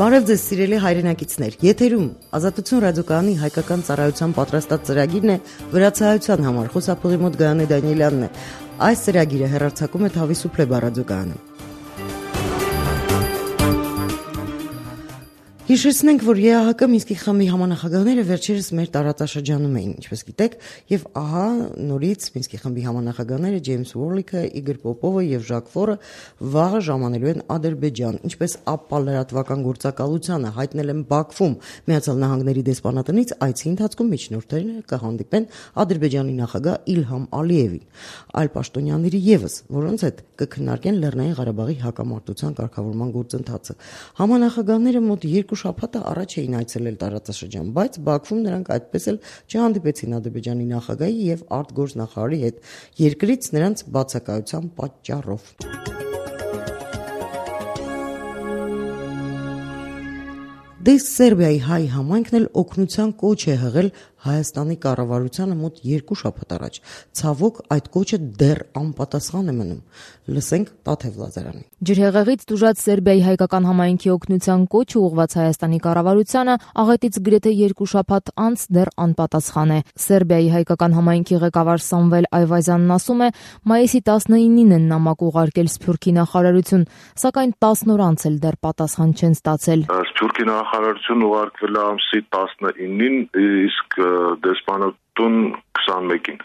Բարև ձեզ սիրելի հայրենակիցներ, եթերում Ազատություն ռադիոկայանի հայկական ծառայության պատրաստած ծրագիրն է վրացահայության համար, խոսափողի մոտ Գայանե Դանիելյանն է, այս ծրագիրը հեռարձակում է Թավիսուփլե ռադիոկայանը։ Հիշեցնենք, որ ԵԱՀԿ Մինսկի խմբի համանախագահները վերջերս մեր տարածաշրջանում էին, ինչպես գիտեք, եւ ահա նորից Մինսկի խմբի համանախագահները Ջեյմս Ուորլիքը, Իգոր Պոպովը եւ Ժակ Ֆորը վաղը ժամանելու են Ադրբեջան, ինչպես ԱՊՊԱ լրատվական գործակալությանը հայտնել են Բաքվում Միացյալ Նահանգների դեսպանատնից, այցի ընթացքում միջնորդները կհանդիպեն Ադրբեջանի նախագահ Իլհամ Ալիևին, այլ պաշտոնյաների եւս, որոնց հետ կքննարկեն Լեռնային Ղարաբաղի հակամարտության կարգավորման գործընթացը։ Համանախագահները մոտ 2 շաբաթ առաջ էին այցելել տարածաշրջան, բայց Բաքվում նրանք այդպես էլ չհանդիպեցին Ադրբեջանի նախագահի եւ արտգործնախարարի հետ, երկրից նրանց բացակայության պատճառով։ Դες Սերբիայի հայ համայնքն էլ օգնության կոչ է հղել Հայաստանի կառավարությանը մոտ 2 շաբաթ առաջ։ Ցավոք այդ կոչը դեռ անպատասխան է մնում։ Լսենք Տաթև Լազարյանին։ Ջրհեղեղից տուժած Սերբիայի հայկական համայնքի օգնության կոչը ուղղված Հայաստանի կառավարությանը աղետից գրեթե 2 շաբաթ անց դեռ անպատասխան է։ Սերբիայի հայկական համայնքի ղեկավար Սամվել Այվազյանն ասում է, մայիսի 19-ին են նամակ ուղարկել Սփյուռքի նախարարություն, սակայն 10 օր անց էլ դեռ պատասխան չեն ստացել։ Սփյուռքի նախարարություն ուղարկվել է ամսի 19-ին, իսկ դեսպանատուն 21-ին։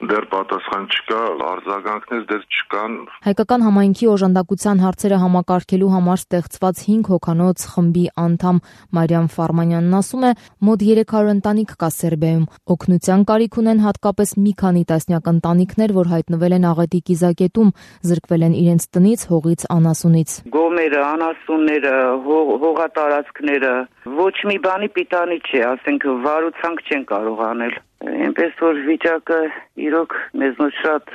Դեռ պատասխան չկա, արձագանքներ դեռ չկան։ Հայկական համայնքի օժանդակության հարցերը համակարգելու համար ստեղծված 5 հոգանոց խմբի անդամ Մարիամ Ֆարմանյանն ասում է, մոտ 300 ընտանիք կա Սերբիայում։ Օգնության կարիք ունեն հատկապես մի քանի տասնյակ ընտանիքներ, որ հայտնվել են աղետի կիզակետում, զրկվել են իրենց տնից, հողից, անասունից։ Գոմերը, անասունները, հողատարածքները, ոչ մի բանի պիտանի չէ, ասենք վարուցանք չեն կարող անել։ Այնպես որ վիճակը իրոք մեզնոց շատ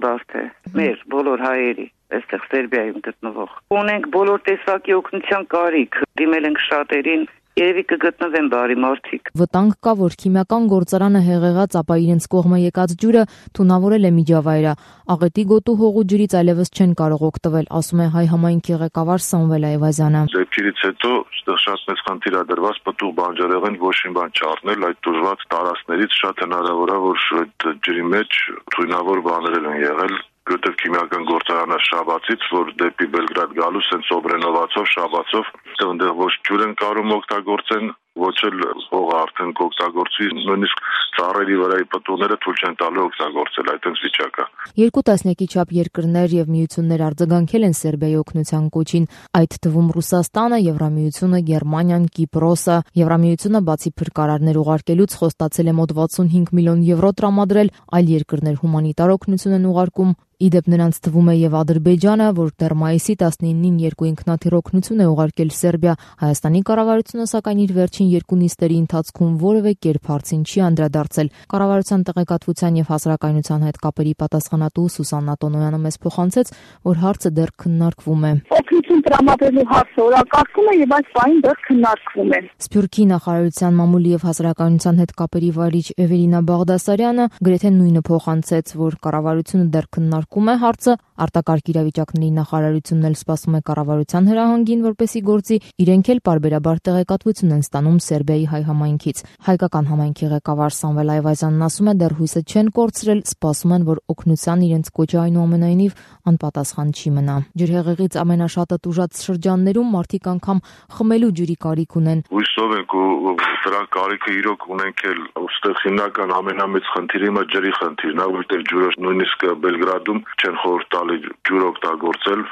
բարդ է, մեր բոլոր հայերի, այստեղ Սերբիայում գտնվող։ Ունենք բոլոր տեսակի օգնության կարիք, դիմել ենք շատերին, երևի կգտնվեն բարի մարդիկ։ Վտանգ կա, որ քիմիական գործարանը հեղեղած, ապա իրենց կողմը եկած ջուրը թունավորել է միջավայրը։ Աղետի գոտու հողու ջրից այլևս չեն կարող օգտվել, ասում է հայ համայնքի ղեկավար Սամվել Այվազյանը։ Դեպքերից հետո այստեղ շատ մեծ խնդիր է դրված պտուղ բանջարեղեն ոչ մի բան չառնել, այդ դժվար տարածքներից շատ հնարավոր է, որ այդ ջրի մեջ թույնավոր բաներ են եղել։ Որտեղ քիմիական գործարանը Շաբաթից, որ դեպի Բելգրադ գալուց են Սոբրենովացով, Շաբաթով, այնտեղ ոչ ջուր են կարող օգտագործեն, ոչ էլ հողը արդեն կօգտագործվի, նույնիսկ ծառերի վրայի պտուղները թույլ չեն տալու օգտագործել, այդպես վիճակը։ 2 տասնյակի չափ երկրներ եւ միություններ արձագանքել են Սերբիայի օգնության կոչին, այդ թվում Ռուսաստանը, Եվրամիությունը, Գերմանիան, Կիպրոսը։ Եվրամիությունը բացի փրկարարներ ուղարկելուց խոստացել է մոտ 65 միլիոն եվրո տրամադրել, այլ երկրներ հումանիտար օգնություն են ուղարկում։ Իդեպ նրանց թվում է եւ Ադրբեջանը, որ դեռ մայիսի 19-ին 2 ինքնաթիռ օգնություն է ուղարկել Սերբիա։ Հայաստանի կառավարությունը սակայն իր վերջին 2 նիստերի ընթացքում որևէ կերպ հարցին չի անդրադարձել։ Կառավարության տեղեկատվության եւ հասարակայնության հետ կապերի պատասխանատու Սուսաննա Տոնոյանը մեզ փոխանցեց, որ հարցը դեռ քննարկվում է։ Օգնություն տրամադրելու հարցը օրակարգում է եւ այս պահին դեռ քննարկվում է։ Սփյուռքի նախարարության մամուլի եւ հասարակայնության հետ կապերի վարիչ Էվելինա Բաղդասարյանը գրեթե նույնը փոխանցեց, որ կառավարությունը դեռ քննարկում է հարցը, արտակարգ իրավիճակների նախարարությունն էլ սպասում է կառավարության հրահանգին, որպեսի գործի, իրենք էլ պարբերաբար տեղեկատվություն են ստանում Սերբիայի հայ համայնքից։ Հայկական համայնքի ղեկավար Սամվել Այվազյանն ասում է, դեռ հույսը չեն կորցրել, սպասում են, որ օգնության իրենց կոչը այնուամենայնիվ անպատասխան չի մնա։ Ջրհեղեղից ամենաշատը տուժած շրջաններում մարդիկ անգամ խմելու ջրի կարիք ունեն։ Հույսով ենք ու դրա կարիքը իրոք ունենք էլ, ուստեղ հիմնական ամենամեծ խնդիրը իմը ջրի խնդիրն է, որտեղ ջուրը նույնիսկ Բելգրադում չեն խորհուրդ տալի ջուր օգտագործել,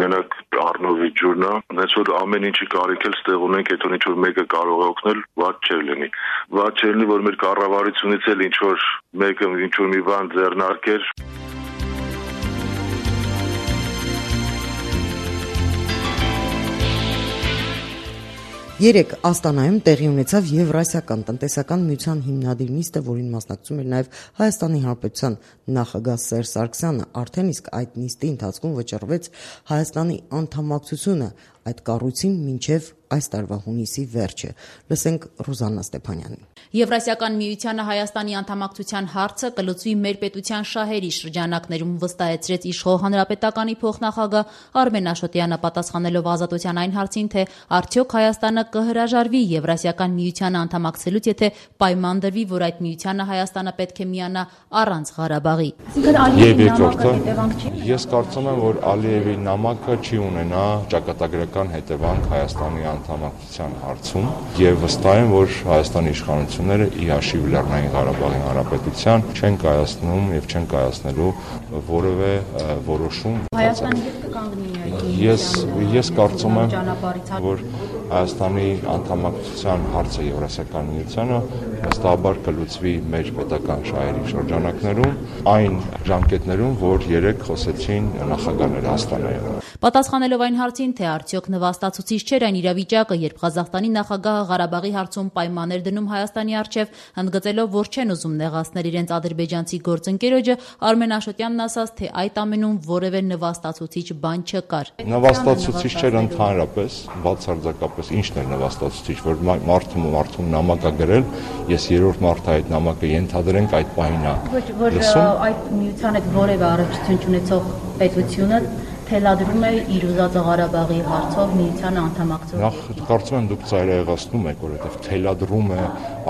մենակ Առնովի ջուրն է, հենց որ ամեն ինչի կարիք էլ ստեղ ունենք, եթե ինչ որ մեկը կարող է օգնել, վատ չէ լինի։ Վատ չէ լինի, որ մեր կառավարությունից էլ ինչ որ մեկը ինչ որ մի բան ձեռնարկեր։ Երեկ Աստանայում տեղի ունեցավ Եվրասիական տնտեսական միության հիմնադիր նիստը, որին մասնակցում էր նաև Հայաստանի Հանրապետության նախագահ Սերժ Սարգսյանը, արդեն իսկ այդ նիստի ընթացքում վճռվեց Հայաստանի անդամակցությունը այդ կառույցին մինչև այս տարվա հունիսի վերջը։ Լսենք Ռուզաննա Ստեփանյանին։ Եվրասիական միությանը Հայաստանի անդամակցության հարցը կլուծվի մեր պետության շահերի շրջանակներում, վստահեցրեց իշխող հանրապետականի փոխնախագահ Արմեն Աշոտյանը, պատասխանելով Ազատության այն հարցին, թե արդյոք Հայաստանը կհրաժարվի Եվրասիական միությանը անդամակցելուց, եթե պայման դրվի, որ այդ միությանը Հայաստանը պետք է միանա առանց Ղարաբաղի։ Եվ երկրորդը, ես կարծում եմ, որ Ալիևի նամակը չի ունենա ճակատագրական հետևանք Հայաստանի անդամակցության հարցում, եւ վստահ եմ, որ Հայաստանի իշխանությունները ի հաշիվ Լեռնային Ղարաբաղի Հանրապետության չեն կայացնում եւ չեն կայացնելու որևէ որոշում։ Հայաստանի հետ կկանգնի Ես կարծում եմ, որ Հայաստանի անդամակցության հարցը Եվրասիական միությանը վստահաբար կլուծվի մեր պետական շահերի շրջանակներում, այն ժամկետներում, որ երեք խոսեցին նախագահները Աստանայում։ Պատասխանելով այն հարցին, թե արդյոք նվաստացուցիչ չէր այն իրավիճակը, երբ Ղազախստանի նախագահը Ղարաբաղի հարցում պայմաններ դնում Հայաստանի առջև, ընդգծելով, որ չեն ուզում նեղացնել իրենց ադրբեջանցի գործընկերոջը, Արմեն Աշոտյանն ասաց, թե այդ ամենում որևէ նվաստացուցիչ բան չկար։ Նվաստացուցիչ չէր ընդհանրապես, բացարձակապես ինչն էր նվաստացուցիչ, որ մարդում նամակ է գրել, ես երրորդ մարդը այդ նամակը ենթադրենք այդ պահին է։ Որ այդ միության հետ որևէ առնչություն չունեցող պետությունը թելադրում է իր ուզածը Ղարաբաղի հարցով միությանը անդամակցել։ Նախ կարծում եմ դուք ծայրահեղացնում եք, որովհետև թելադրում է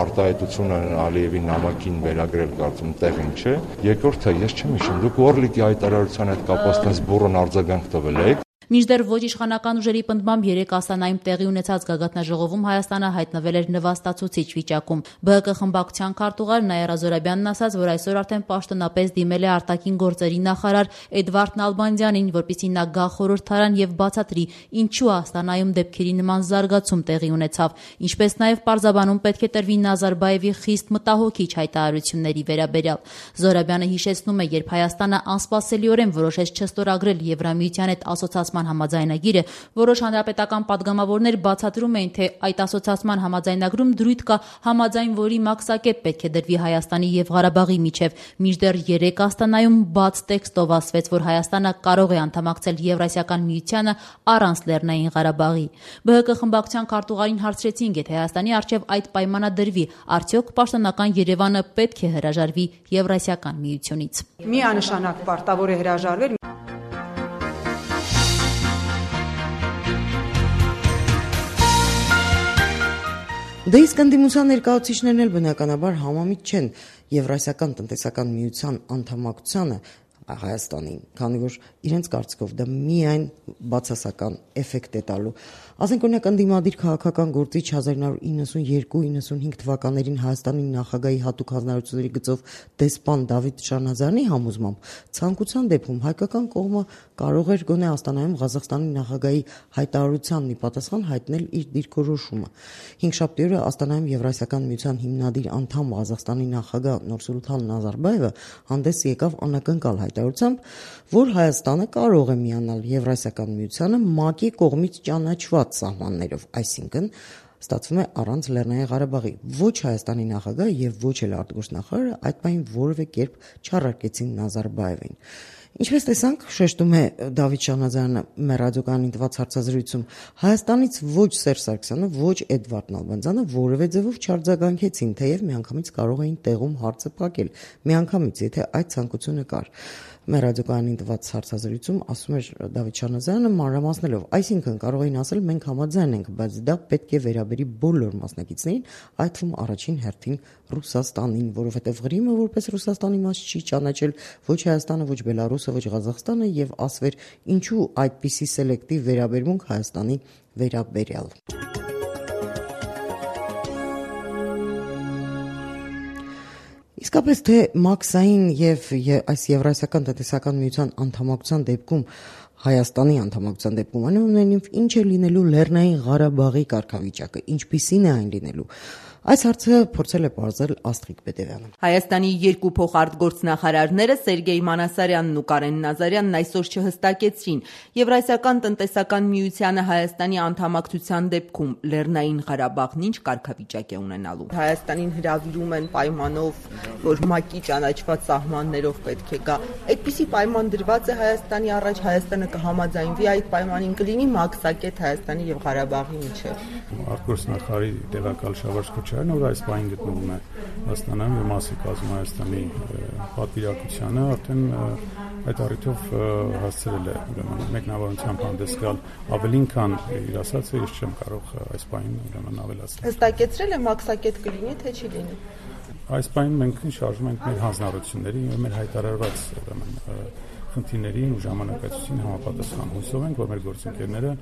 արտահայտությունը Ալիևի նամակին վերագրել, կարծում տեղին չէ։ Երկրորդը, ես չեմ հիշում, դուք Օրլիկի հայտարարության հետ կապված տես բուրըն արձագանք տվել եք։ Մինչդեռ ոչ իշխանական ուժերի պնդմամբ երեք Աստանայում տեղի ունեցած գագաթնաժողովում Հայաստանը հայտնվել էր նվաստացուցիչ վիճակում։ ԲՀԿ խմբակցության քարտուղար Նայարա Զորաբյանն ասաց, որ այսօր արդեն պաշտոնապես դիմել է արտաքին գործերի նախարար Էդվարդ Նալբանդյանին, որպեսզի նա գա խորհրդարան եւ բացատրի, ինչու Աստանայում դեպքերի նման զարգացում տեղի ունեցավ, ինչպես նաեւ պարզաբանում պետք է տրվի Նազարբաևի խիստ մտահոգիչ հայտարարությունների վերաբերյալ։ Զորաբյանը հիշեցնում է, երբ Հայաստանը անսպասելիորեն որոշեց չստորագրել Եվրամիության հետ ասոցիացման համաձայնագիրը, որոշ հանրապետական падգամավորներ բացատրում էին, թե այդ ասոցիացման համաձայնագրում դրույթ կա, համաձայն որի մաքսակետ պետք է դրվի Հայաստանի եւ Ղարաբաղի միջև։ Մինչդեռ երեք Աստանայում բաց տեքստով ասվեց, որ Հայաստանը կարող է անդամակցել Եվրասիական միությանը առանց Լեռնային Ղարաբաղի։ ԲՀԿ խմբակցության քարտուղարին հարցրեցին, եթե Հայաստանի առջև այդ պայմանը դրվի, արդյոք պաշտոնական Երևանը պետք է հրաժարվի Եվրասիական միությունից։ Միանշանակ պարտավոր է հրաժարվել։ Դե իսկ ընդդիմության ներկայացուցիչներն էլ բնականաբար համամիտ չեն Եվրասիական տնտեսական միության անդամակցությանը Հայաստանին, քանի որ իրենց կարծիքով դա միայն բացասական էֆեկտ է տալու։ Ասենք օրինակ ընդդիմադիր քաղաքական գործիչ 1992-95 թվականներին Հայաստանի նախագահի հատուկ հանրությունների գծով դեսպան Դավիթ Շանազարյանի համոզմամբ ցանկության դեպքում հայկական կողմը կարող էր գոնե Աստանայում Ղազախստանի նախագահի հայտարարությանն ի պատասխան հայտնել իր դիրքորոշումը։ Հինգշաբթի օրը Աստանայում Եվրասիական միության հիմնադիր անդամ Ղազախստանի նախագահ Նուրսուլթան Նազարբաևը հանդես եկավ անակնկալ հայտարարությամբ, որ Հայաստանը կարող է միանալ Եվրասիական միությանը ՄԱԿ-ի կողմից ճանաչված սահմաններով, այսինքն ստացվում է առանց Լեռնային Ղարաբաղի։ Ոչ Հայաստանի նախագահը եւ ոչ էլ արտգործնախարարը այդ բանին որևէ կերպ չառարկեցին Նազարբաևին։ Ինչպես տեսանք, շեշտում է Դավիթ Շանազարյանը մեր ռադիոկայանին տված հարցազրույցում, Հայաստանից ոչ Սերժ Սարգսյանը, ոչ Էդվարդ Նալբանդյանը որևէ ձևով չարձագանքեցին, թեև միանգամից կարող էին տեղում հարցը փակել, միանգամից, եթե այդ ցանկությունը կար։ Մեր ռադիոկայանին տված հարցազրույցում ասում էր Դավիթ Շանազարյանը մանրամասնելով, այսինքն կարող էին ասել մենք համաձայն ենք, բայց դա պետք է վերաբերի բոլոր մասնակիցներին, այդ թվում առաջին հերթին Ռուսաստանին, որովհետև Ղրիմը որպես Ռուսաստանի մաս չի ճանաչել ոչ Հայաստանը, ոչ Բելարուսը, ոչ Ղազախստանը եւ ասվեր ինչու այդպիսի սելեկտիվ վերաբերմունք Հայաստանի վերաբերյալ։ Իսկապես թե մաքսային եւ այս Եվրասիական տնտեսական միության անդամակցության դեպքում Հայաստանի անդամակցության դեպքում այնուամենայնիվ ինչ է լինելու Լեռնային Ղարաբաղի կարգավիճակը, ինչպիսին է այն լինելու։ Այս հարցը փորձել է պարզել Աստղիկ Պետևյանը։ Հայաստանի երկու փոխարտգործնախարարները Սերգեյ Մանասարյանն ու Կարեն Նազարյանն այսօր չհստակեցրին Եվրասիական տնտեսական միությանը Հայաստանի անդամակցության դեպքում Լեռնային Ղարաբաղն ինչ կարգավիճակ է ունենալու։ Հայաստանին հրավիրում են պայմանով, որ ՄԱԿ-ի ճանաչված սահմաններով պետք է գա։ Այդպիսի պայման դրված է Հայաստանի առաջ, Հայաստանը կհամաձայնվի այդ պայմանին, կլինի մաքսակետ Հայաստանի եւ Ղարաբաղի միջեւ։ Արտգործնախարարի տեղակալ Շավարժ Քոչարյանը, որ այս պահին գտնվում է Աստանայում եւ մասի կազմում Հայաստանի պատվիրակությանը, արդեն այդ առիթով հասցրել է ուրեմն մեկնաբանությամբ հանդես գալ ավելին, քան իր ասածը, ես չեմ կարող այս պահին ուրեմն ավելացնել։ Հստակեցրել է մաքսակետ կլինի, թե չի լինի։ Այս պահին մենք շարժում ենք մեր հանձնառությունների եւ մեր հայտարարված ուրեմն խնդիրներին ու ժամանակացույցին համապատասխան հույսով ենք, որ մեր գործընկերները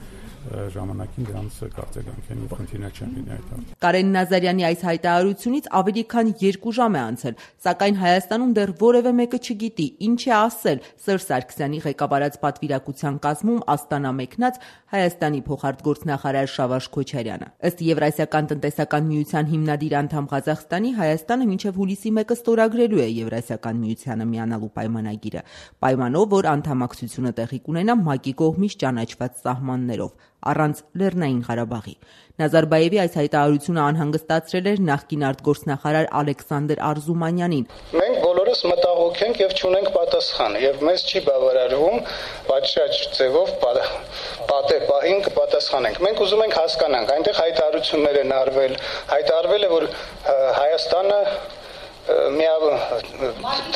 ժամանակին դրանց կարծեկանքեն եւ խնդիրներ չեն լինի այդ։ Կարեն Նազարյանի այս հայտարարությունից ավելի քան 2 ժամ է անցել, սակայն Հայաստանում դեռ որևէ մեկը չգիտի ինչ է ասել Սերժ Սարգսյանի ղեկավարած պատվիրակության կազմում Աստանա մեկնած Հայաստանի փոխարտգործնախարար Շավարժ Քոչարյանը։ Ըստ Եվրասիական տնտեսական միության հիմնադիր անդամ Ղազախստանի Հայաստանը մինչև հուլիսի 1-ը ստորագրելու է Եվրասիական միությանը միանալու պայմանագիրը, պայմանով, որ անդամակցությունը տեղի կունենա ՄԱԿ-ի կողմից ճանաչված սահմաններով, առանց Լեռնային Ղարաբաղի։ Նազարբաևի այս հայտարարությունը անհանգստացրել էր նախկին արտգործնախարար Ալեքսանդր Արզումանյանին։ Մենք բոլորս մտահոգ ենք եւ չունենք պատասխան, եւ մեզ չի բավարարվում պատշաճ ձևով պատահին կպատասխանենք։ Մենք ուզում ենք հասկանանք, այնտեղ հայտարարություններ են արվել, հայտարարվել է, որ Հայաստանը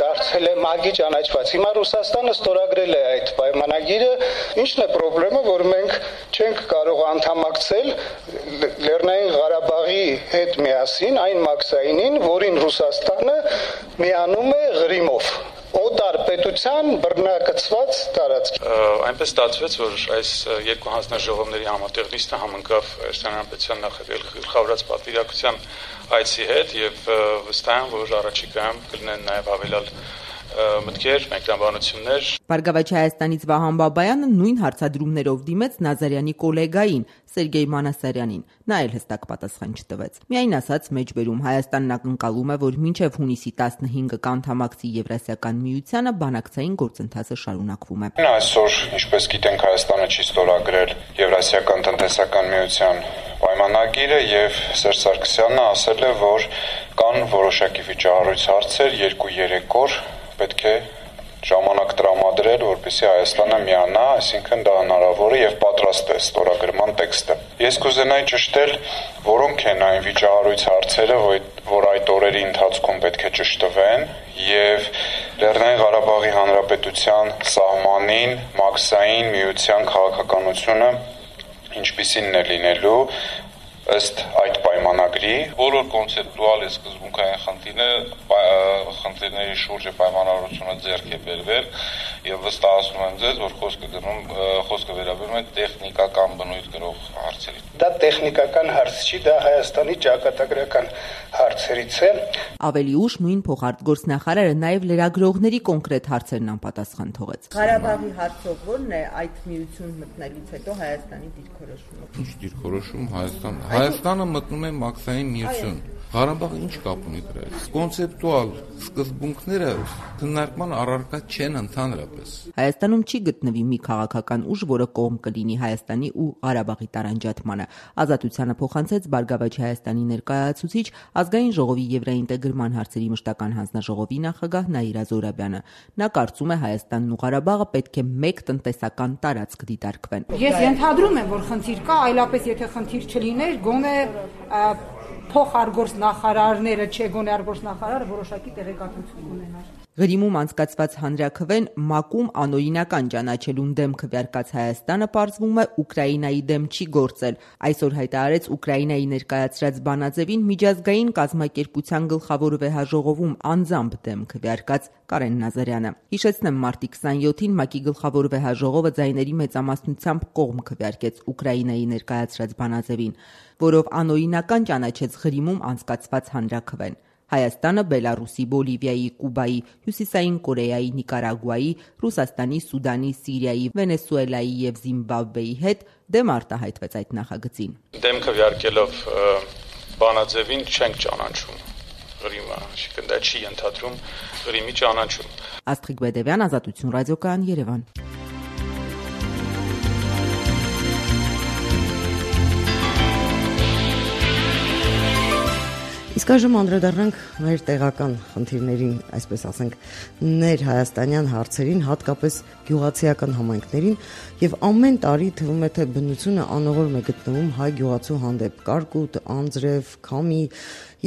դարձել է ՄԱԿ-ի ճանաչված։ Հիմա Ռուսաստանը ստորագրել է այդ պայմանագիրը, ինչն է խնդրեմը, որ մենք չենք կարող անդամակցել Լեռնային Ղարաբաղի հետ միասին այն մաքսայինին, որին Ռուսաստանը միանում է Ղրիմով։ Օտար պետության բռնակցված տարածք։ Այնպես ստացվեց, որ այս երկու հանձնաժողովների համատեղ նիստը համընկավ Հայաստանի Հանրապետության նախագահ գլխավորած պատվիրակության այցի հետ եւ վստահ եմ, որ առաջիկայում կլինեն նաեւ ավելալ մտքեր, մեկնաբանություններ։ Բարգավաճ Հայաստանից Վահան Բաբայանը նույն հարցադրումներով դիմեց Նազարյանի գոլեգային Սերգեյ Մանասարյանին։ Նա էլ հստակ պատասխան չտվեց։ Միայն ասաց մեջբերում Հայաստանն ակնկալում է, որ մինչև հունիսի 15-ը կանթամակցի Եվրասիական միությանը բանակցային գործընթացը շարունակվում է։ Այսօր, ինչպես գիտենք, Հայաստանը չի ստորագրել Եվրասիական տնտեսական միության պայմանագիրը եւ Սերժ Սարգսյանը ասել է, որ կան որոշակի վիճահարույց հարցեր 2-3 օր պետք է ժամանակ տրամադրել, որպեսզի Հայաստանը միանա, այսինքն դա հնարավոր է եւ պատրաստ է ստորագրման տեքստը։ Ես կուզենայի ճշտել, որոնք են այն վիճահարույց հարցերը, որ այդ օրերի ընթացքում պետք է ճշտվեն եւ Լեռնային Ղարաբաղի Հանրապետության սահմանին մաքսային միության քաղաքականությունը ինչպիսին է լինելու ըստ այդ պայմանագրի։ Բոլոր կոնցեպտուալ եւ սկզբունքային խնդիրների շուրջ պայմանավորությունը ձեռք է բերվել եւ վստահեցնում եմ ձեզ, որ խոսքը վերաբերում է տեխնիկական բնույթ կրող հարցերին։ Դա տեխնիկական հարց չի, դա Հայաստանի ճակատագրական հարցերից է։ Ավելի ուշ նույն փոխարտգործնախարարը նաեւ լրագրողների կոնկրետ հարցերն անպատասխան թողեց։ Ղարաբաղի հարցով ո՞րն է այդ միություն մտնելուց հետո Հայաստանի դիրքորոշումը։ Ինչ դիրքորոշում Հայաստանը մտնում է մաքսային միություն։ Ղարաբաղը ինչ կապ ունի դրա հետ։ Կոնցեպտուալ սկզբունքները քննարկման առարկա չեն ընդհանրապես։ Հայաստանում չի գտնվի մի քաղաքական ուժ, որը կողմ կլինի Հայաստանի ու Ղարաբաղի տարանջատմանը։ Ազատությանը փոխանցեց Բարգավաճ Հայաստանի ներկայացուցիչ Ազգային ժողովի եվրաինտեգրման հարցերի մշտական հանձնաժողովի նախագահ Նաիրա Զորաբյանը։ Նա կարծում է Հայաստանն ու Ղարաբաղը պետք է մեկ տնտեսական տարածք դիտարկվեն։ Ես ենթադրում եմ, որ խնդիր կա, այլապես եթե խնդիր չլիներ, գոնե փոխարտգործնախարարները, չէ գոնե արտգործնախարարը որոշակի տեղեկատվություն ունենար։ Ղրիմում անցկացված հանրաքվեն ՄԱԿ-ում անօրինական ճանաչելուն դեմ քվեարկած Հայաստանը պարզվում է Ուկրաինայի դեմ չի գործել։ Այսօր հայտարարեց Ուկրաինայի ներկայացրած բանաձևին միջազգային կազմակերպության գլխավոր վեհաժողովում անձամբ դեմ քվեարկած Կարեն Նազարյանը։ Հիշեցնեմ, մարտի 27-ին ՄԱԿ-ի գլխավոր վեհաժողովը ձայների մեծամասնությամբ կողմ քվեարկեց Ուկրաինայի ներկայացրած բանաձևին, որով անօրինական ճանաչեց Ղրիմում անցկացված հանրաքվեն։ Հայաստանը Բելարուսի, Բոլիվիայի, Կուբայի, Հյուսիսային Կորեայի, Նիկարագուայի, Ռուսաստանի, Սուդանի, Սիրիայի, Վենեսուելայի եւ Զիմբաբվեի հետ դեմ արտահայտվեց այդ նախագծին։ Դեմ քվեարկելով բանաձևին չենք ճանաչում Ղրիմը, այսինքն դա չի ենթադրում Ղրիմի ճանաչում։ Աստղիկ Բեդևյան, Ազատություն ռադիոկայան, Երևան։ Իսկ այժմ անդրադառնանք մեր տեղական խնդիրներին, այսպես ասենք, ներհայաստանյան հարցերին, հատկապես գյուղացիական համայնքներին, եւ ամեն տարի թվում է թե բնությունը անողորմ է գտնվում հայ գյուղացու հանդեպ, կարկուտ, անձրև, քամի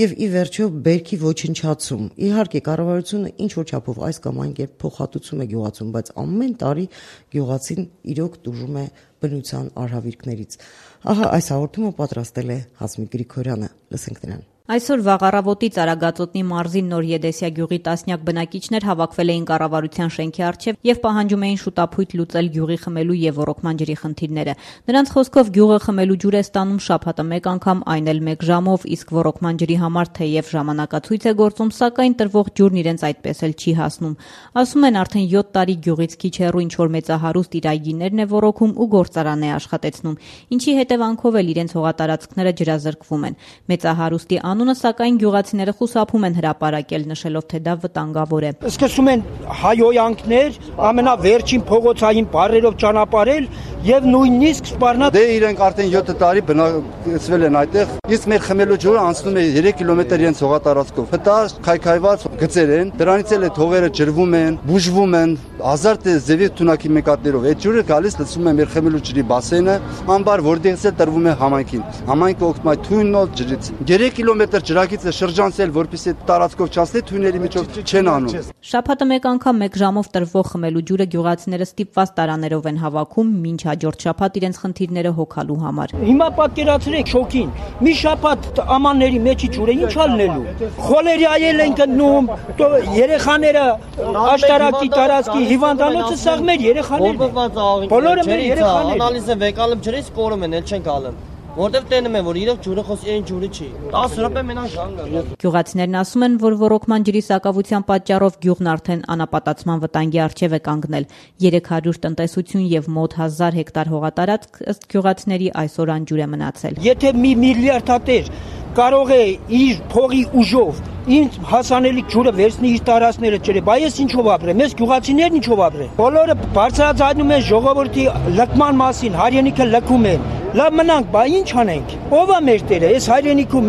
եւ ի վերջո բերքի ոչնչացում։ Իհարկե կառավարությունը ինչ որ չափով այս կամ այն կերպ փոխհատուցում է գյուղացուն, բայց ամեն տարի գյուղացին իրոք տուժում է բնության արհավիրքներից։ Ահա այս հաղորդումը պատրաստել է Հասմիկ Գրիգորյանը, լսենք նրան։ Այսօր վաղ առավոտից Արագածոտնի մարզի Նոր Եդեսիա գյուղի տասնյակ բնակիչներ հավաքվել էին կառավարության շենքի առջև եւ պահանջում էին շուտափույթ լուծել գյուղի խմելու եւ ոռոգման ջրի խնդիրները։ Նրանց խոսքով գյուղը խմելու ջուր է ստանում շաբաթը մեկ անգամ, այն էլ 1 ժամով, իսկ ոռոգման ջրի համար թեև ժամանակացույց է գործում, սակայն տրվող ջուրն իրենց այդպես էլ չի հասնում։ Ասում են արդեն 7 տարի գյուղից քիչ հեռու ինչ որ մեծահարուստ իր այգիներն է ոռոգում ու գործարան է աշխատեցնում, ինչի հետևանքով էլ իրենց հողատարածքները ջրազրկվում են։ Մեծահարուստի անունը սակայն գյուղացիները խուսափում են հրապարակել, նշելով թե դա վտանգավոր է։ Սկսում են հայոյանքներ, ամենավերջին փողոցային բառերով ճանապարհել եւ նույնիսկ սպառնա։ Դե իրենք արդեն 7 տարի բնակեցվել են այդտեղ, իսկ մեր խմելու ջուրը անցնում է 3 կիլոմետր իրենց հողատարածքով։ Հտա քայքայված գծեր են, դրանից էլ է թողերը ջրվում են, բուժվում են, հազար ձևի թունակի մեկատներով։ Այդ ջուրը գալիս լցվում է մեր խմելու ջրի բասենը, ամբար, որտեղից էլ տրվում է համայնքին։ Համայնքը օգտվում է թույնով ջրից։ 3 կիլոմետր ջրակիցը շրջանցել, որպեսզի տարածքով չանցնի, թույների միջով չեն անում։ Շաբաթը մեկ անգամ 1 ժամով տրվող խմելու ջուրը գյուղացիները ստիպված տարաներով են հավաքում, մինչ հաջորդ շաբաթ իրենց խնդիրները հոգալու համար։ Հիմա պատկերացրեք շոկին։ Մի շաբաթ ամանների մեջի ջուրը ինչ ալնելու։ Խոլերիայել են գնում, երեխաները աշտարակի տարածքի հիվանդանոցը սաղ մեր երեխաներն են։ Բոլորը մեր երեխաներ։ Անալիզ են վեկալում ջրից կորում են, էլ չեն գալում։ Որտեվ տենում են, որ իրոք ջուրը խոսի այն ջուրը չի։ 10 րոպե մենակ ժանգը։ Գյուղացիներն ասում են, որ ոռոգման ջրի սակավության պատճառով գյուղն արդեն անապատացման վտանգի առջև է կանգնել։ 300 տնտեսություն եւ մոտ 1000 հեկտար հողատարածք ըստ գյուղացիների այսօր անջուր է մնացել։ Եթե մի միլիարդատեր կարող է իր փողի ուժով ինձ հասանելիք ջուրը վերցնի իր տարածքները ջրե, բայց ես ինչով ապրեմ, ես գյուղացիներն ինչով ապրեմ։ Բոլորը բարձրացնում են ժողովրդի լքման մասին, հայրենիքը լքում են։ Լավ մնանք, բայց ինչ անենք։ Ո՞վ է մեր տերը։ Այս հայրենիքում,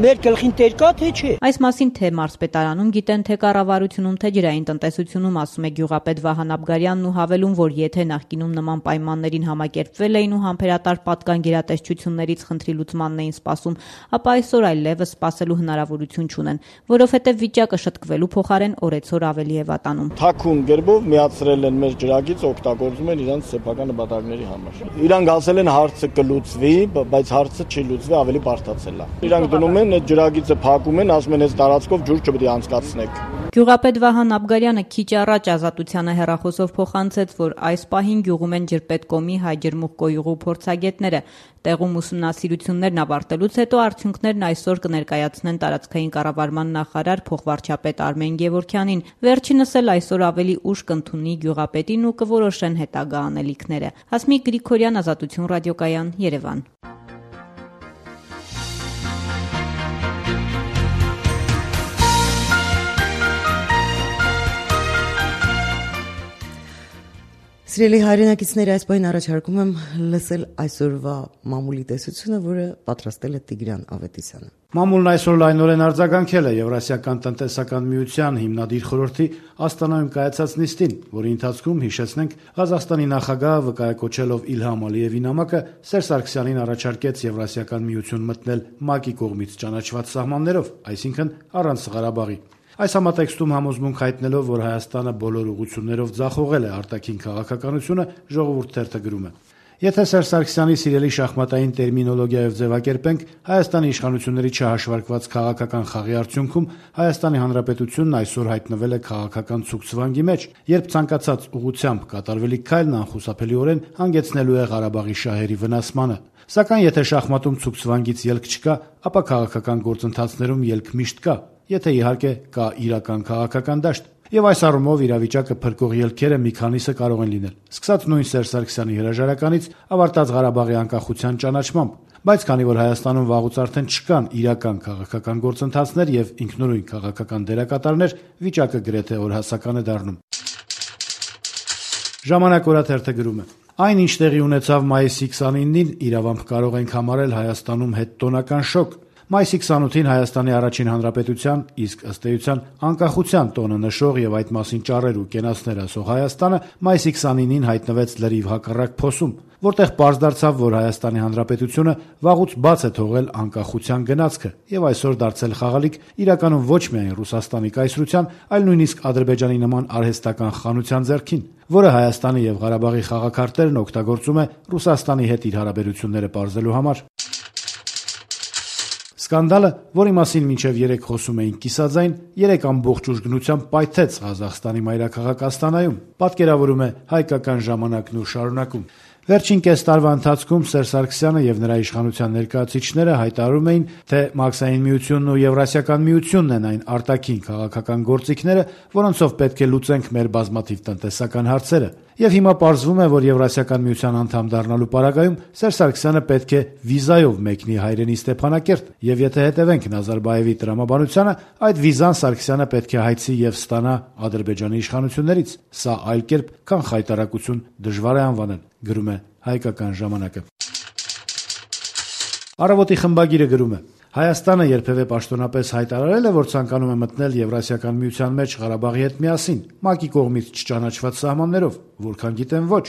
մեր գլխին տեր կա թե չէ։ Այս մասին թե մարզպետարանում գիտեն, թե կառավարությունում, թե ջրային տնտեսությունում, ասում է գյուղապետ Վահան Աբգարյանն ու հավելում, որ եթե նախկինում նման պայմաններին համակերպվել էին ու համբերատար պատկան գերատեսչություններից խնդրի լուծմանն էին սպասում, ապա այսօր այլևս սպասելու հնարավորություն չունեն, որովհետև վիճակը շտկվելու փոխարեն օրեցօր ավելի է վատանում։ Թաքուն գերբով միացրել են մեր ջրագիծ, օգտագործում են իրենց սեփական նպատակների համար։ Իրանք ասել են հարցը կլուծվի, բայց հարցը չի լուծվի, ավելի բարդացել է։ Իրանք դնում են այդ ջրագիծը փակում են, ասում են այս տարածքով ջուր չպետք է անցկացնեք։ Գյուղապետ Վահան Աբգարյանը քիչ առաջ Ազատությանը հեռախոսով փոխանցեց, որ այս պահին գյուղում են ջրպետկոմի հայ ջրմուղկոյուղու փորձագետները։ Տեղում ուսումնասիրություններն ավարտելուց հետո արդյունքներն այսօր կներկայացնեն տարածքային կառավարման նախարար փոխվարչապետ Արմեն Գևորգյանին։ Վերջինս էլ այսօր ավելի ուշ կընդունի գյուղապետին ու կորոշեն հետագա անելիքները։ Հասմիկ Գրիգորյան, Ազատություն ռադիոկայան, Երևան։ Սիրելի հայրենակիցներ, այս պահին առաջարկում եմ լսել այսօրվա մամուլի տեսությունը, որը պատրաստել է Տիգրան Ավետիսյանը։ Մամուլն այսօր լայնորեն արձագանքել է Եվրասիական տնտեսական միության հիմնադիր խորհրդի Աստանայում կայացած նիստին, որի ընթացքում, հիշեցնենք, Ղազախստանի նախագահը վկայակոչելով Իլհամ Ալիևի նամակը Սերժ Սարգսյանին առաջարկեց Եվրասիական միություն մտնել ՄԱԿ-ի կողմից ճանաչված սահմաններով, այսինքն առանց Ղարաբաղի։ Այս համատեքստում համոզմունք հայտնելով, որ Հայաստանը բոլոր ուղղություններով ձախողել է արտաքին քաղաքականությունը, Ժողովուրդ թերթը գրում է. Եթե Սերժ Սարգսյանի սիրելի շախմատային տերմինոլոգիայով ձևակերպենք, Հայաստանի իշխանությունների չհաշվարկված քաղաքական խաղի արդյունքում Հայաստանի Հանրապետությունն այսօր հայտնվել է քաղաքական ցուգցվանգի մեջ, երբ ցանկացած ուղղությամբ կատարվելիք քայլն անխուսափելիորեն հանգեցնելու է Ղարաբաղի շահերի վնասմանը։ Սակայն եթե շախմատում ցուգցվանգից ելք չկա, ապա քաղաքական գործընթացներում ելք միշտ կա, եթե իհարկե կա իրական քաղաքական դաշտ։ Եվ այս առումով իրավիճակը փրկող ելքերը մի քանիսը կարող են լինել, սկսած նույն Սերժ Սարգսյանի հրաժարականից, ավարտած Ղարաբաղի անկախության ճանաչմամբ, Բայց քանի որ Հայաստանում վաղուց արդեն չկան իրական քաղաքական գործընթացներ եւ ինքնուրույն քաղաքական դերակատարներ, վիճակը գրեթե օրհասական է դառնում։ Ժամանակ օրաթերթը գրում է. Այն, ինչ տեղի ունեցավ մայիսի 29-ին, իրավամբ կարող ենք համարել Հայաստանում հետտոնական շոկ։ Մայիսի 28-ին Հայաստանի առաջին հանրապետության, իսկ ըստ էության անկախության տոնը նշող եւ այդ մասին ճառեր ու կենացներ ասող Հայաստանը մայիսի 29-ին հայտնվեց լրիվ հակառակ փոսում, որտեղ պարզ դարձավ, որ Հայաստանի հանրապետությունը վաղուց բաց է թողել անկախության գնացքը եւ այսօր դարձել խաղալիք իրականում ոչ միայն Ռուսաստանի կայսրության, այլ նույնիսկ Ադրբեջանի նման արհեստական խանության ձեռքին, որը Հայաստանի եւ Ղարաբաղի խաղաքարտերն օգտագործում է Ռուսաստանի հետ իր հարաբերությունները պարզելու համար։ Սկանդալը, որի մասին մինչև 3 խոսում էին կիսաձայն, 3 ամբողջ ուժգնությամբ պայթեց Ղազախստանի մայրաքաղաք Աստանայում, պատկերավորում է Հայկական ժամանակն ու շարունակում։ Վերջին կես տարվա ընթացքում Սերժ Սարգսյանը եւ նրա իշխանության ներկայացուցիչները հայտարարում էին, թե Մաքսային միությունն ու Եվրասիական միությունն են այն արտաքին քաղաքական գործիքները, որոնցով պետք է լուծենք մեր բազմաթիվ տնտեսական հարցերը։ Եվ հիմա պարզվում է, որ Եվրասիական միության անդամ դառնալու պարագայում Սերժ Սարգսյանը պետք է վիզայով մեկնի հայրենի Ստեփանակերտ, եւ եթե հետևենք Նազարբաևի տրամաբանությանը, այդ վիզան Սարգսյանը պետք է հայցի եւ ստանա Ադրբեջանի իշխանություններից։ Սա այլ կերպ, քան խայտարակություն դժվար է անվանել, գրում է Հայկական ժամանակը։ Առավոտի խմբագիրը գրում է. Հայաստանը երբևէ պաշտոնապես հայտարարել է, որ ցանկանում է մտնել Եվրասիական միության մեջ Ղարաբաղի հետ միասին, ՄԱԿ-ի կողմից չճանաչված սահմաններով, որքան գիտեմ ոչ։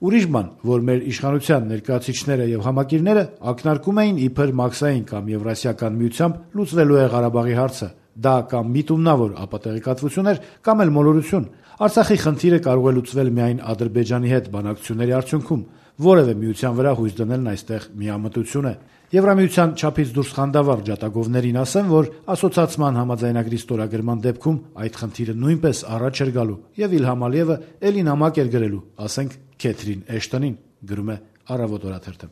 Ուրիշ բան, որ մեր իշխանության ներկայացուցիչները եւ համակիրները ակնարկում էին իբր Մաքսային կամ Եվրասիական միությամբ լուծվելու է Ղարաբաղի հարցը։ Դա կամ միտումնավոր ապատեղեկատվություն էր, կամ էլ մոլորություն։ Արցախի խնդիրը կարող է լուծվել միայն Ադրբեջանի հետ բանակցությունների արդյունքում։ Որևէ միության վրա հույս դնելն այստեղ միամտություն է։ Եվրամիության չափից դուրս խանդավառ ջատագովներին ասեմ, որ ասոցացման համաձայնագրի ստորագրման դեպքում այդ խնդիրը նույնպես առաջ էր գալու եւ Իլհամ Ալիևը էլի նամակ էր գրելու, ասենք Քեթրին Էշտոնին, գրում է Առավոտ օրաթերթը։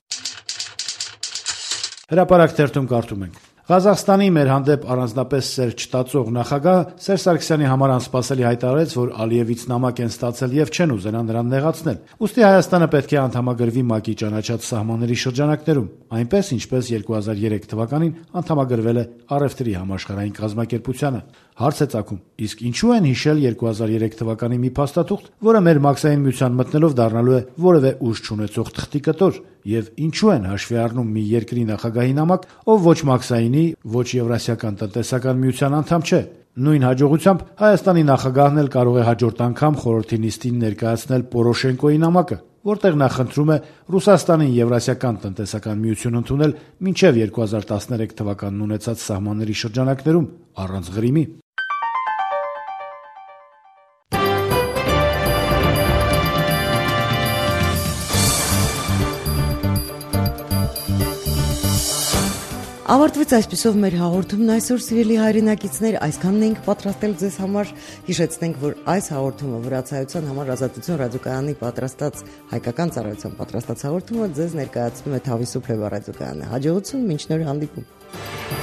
Հրապարակ թերթում կարդում ենք. Ղազախստանի մեր հանդեպ առանձնապես սեր չտածող նախագահը Սերժ Սարգսյանի համար անսպասելի հայտարարեց, որ Ալիևից նամակ են ստացել եւ չեն ուզենա նրան նեղացնել։ Ուստի Հայաստանը պետք է անդամագրվի ՄԱԿ-ի ճանաչած սահմանների շրջանակներում, այնպես ինչպես 2003 թվականին անդամագրվել է Առևտրի համաշխարհային կազմակերպությանը։ Հարց է ծագում. իսկ ինչու են հիշել 2003 թվականի մի փաստաթուղթ, որը մեր Մաքսային միության մտնելով դառնալու է որևէ ուժ չունեցող թղթի կտոր, եւ ինչու են հաշվի առնում մի երկրի նախագահի նամակ, ով ոչ Մաքսայինի, ոչ Եվրասիական տնտեսական միության անդամ չէ։ Նույն հաջողությամբ Հայաստանի նախագահն էլ կարող է հաջորդ անգամ խորհրդի նիստին ներկայացնել Պորոշենկոյի նամակը, որտեղ նա խնդրում է Ռուսաստանին Եվրասիական տնտեսական միություն ընդունել մինչև 2013 թվականն ունեցած սահմանների շրջանակներում առանց ղրիմի։ Ավարտվեց այսպիսով մեր հաղորդումն այսօր, սիրելի հայրենակիցներ, այսքանն ենք պատրաստել ձեզ համար։ Հիշեցնենք, որ այս հաղորդումը Վրացայության համար Ազատություն ռադիոկայանի պատրաստած հայկական ծառայության պատրաստած հաղորդումը ձեզ ներկայացնում է Թավիսու Փլեվա ռադիոկայանը։ Հաջողություն, մինչ նոր հանդիպում։